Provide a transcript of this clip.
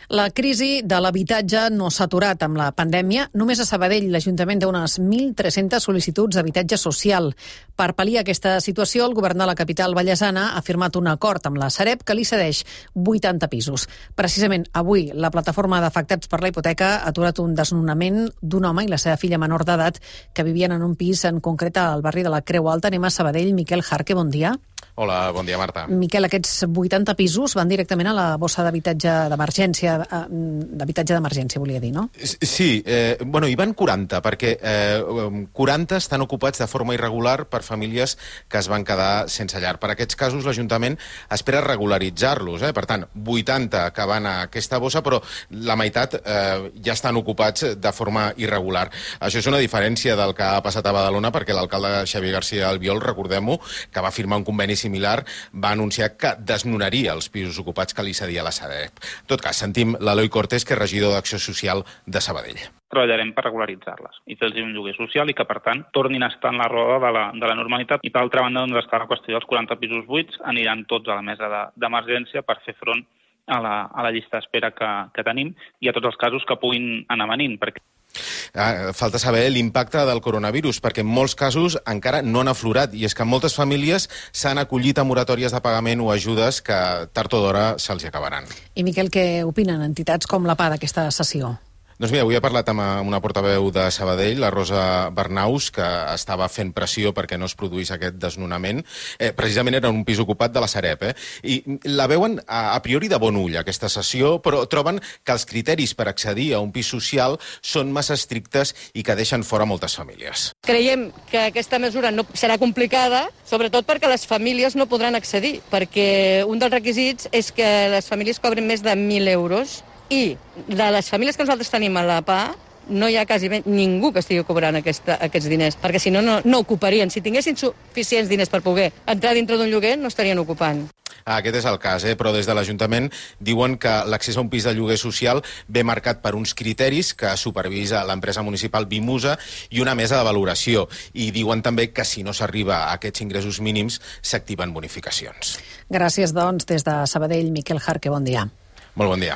La crisi de l'habitatge no s'ha aturat amb la pandèmia. Només a Sabadell l'Ajuntament té unes 1.300 sol·licituds d'habitatge social. Per pal·liar aquesta situació, el govern de la capital vallesana ha firmat un acord amb la Sareb que li cedeix 80 pisos. Precisament avui, la plataforma d'afectats per la hipoteca ha aturat un desnonament d'un home i la seva filla menor d'edat que vivien en un pis en concret al barri de la Creu Alta. Anem a Sabadell. Miquel Jarque, bon dia. Hola, bon dia, Marta. Miquel, aquests 80 pisos van directament a la bossa d'habitatge d'emergència, volia dir, no? Sí, hi van 40, perquè 40 estan ocupats de forma irregular per famílies que es van quedar sense llar. Per aquests casos, l'Ajuntament espera regularitzar-los. Per tant, 80 que van a aquesta bossa, però la meitat ja estan ocupats de forma irregular. Això és una diferència del que ha passat a Badalona, perquè l'alcalde Xavier García Albiol, recordem-ho, que va firmar un conveni similar, va anunciar que desnonaria els pisos ocupats que li cedia la Sareb. En tot cas, sentim l'Eloi Cortés, que és regidor d'Acció Social de Sabadell. Treballarem per regularitzar-les i fer-los un lloguer social i que, per tant, tornin a estar en la roda de la normalitat. I, per altra banda, doncs, està la qüestió dels 40 pisos buits, aniran tots a la mesa d'emergència per fer front a la llista d'espera que tenim i a tots els casos que puguin anar venint, perquè falta saber l'impacte del coronavirus, perquè en molts casos encara no han aflorat, i és que moltes famílies s'han acollit a moratòries de pagament o ajudes que tard o d'hora se'ls acabaran. I Miquel, què opinen entitats com la PA d'aquesta sessió? Doncs mira, avui he parlat amb una portaveu de Sabadell, la Rosa Bernaus, que estava fent pressió perquè no es produís aquest desnonament. Precisament era un pis ocupat de la Sareb. I la veuen a priori de bon ull, aquesta sessió, però troben que els criteris per accedir a un pis social són massa estrictes i que deixen fora moltes famílies. Creiem que aquesta mesura no serà complicada, sobretot perquè les famílies no podran accedir, perquè un dels requisits és que les famílies cobren més de 1.000 euros i de les famílies que nosaltres tenim a la PA no hi ha quasi ningú que estigui cobrant aquests diners, perquè si no, no ocuparien. Si tinguessin suficients diners per poder entrar dintre d'un lloguer, no estarien ocupant. Aquest és el cas, però des de l'Ajuntament diuen que l'accés a un pis de lloguer social ve marcat per uns criteris que supervisa l'empresa municipal Vimusa i una mesa de valoració. I diuen també que si no s'arriba a aquests ingressos mínims s'activen bonificacions. Gràcies, doncs, des de Sabadell, Miquel Jarque, bon dia. Molt bon dia.